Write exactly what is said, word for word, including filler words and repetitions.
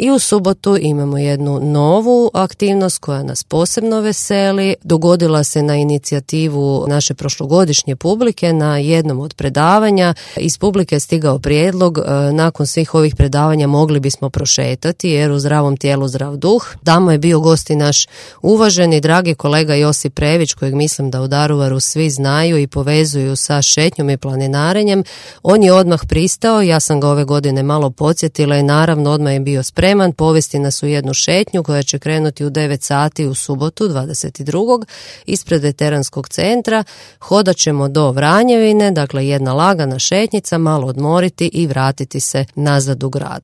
I u subotu imamo jednu novu aktivnost koja nas posebno veseli. Dogodila se na inicijativu naše prošlogodišnje publike na jednom od predavanja. Iz publike je stigao prijedlog, nakon svih ovih predavanja mogli bismo prošetati jer u zdravom tijelu zdrav duh. Tamo je bio gost i naš uvaženi, dragi kolega Josip Prević, kojeg mislim da u Daruvaru svi znaju i povezuju sa šetnjom i planinarenjem. On je odmah pristao, ja sam ga ove godine malo podsjetila i naravno odmah je bio spreman povesti nas u jednu šetnju koja će krenuti u devet sati u subotu dvadeset drugog ispred veteranskog centra. Hodat ćemo do Vranjevine, dakle jedna lagana šetnjica, malo odmoriti i vratiti se nazad u grad.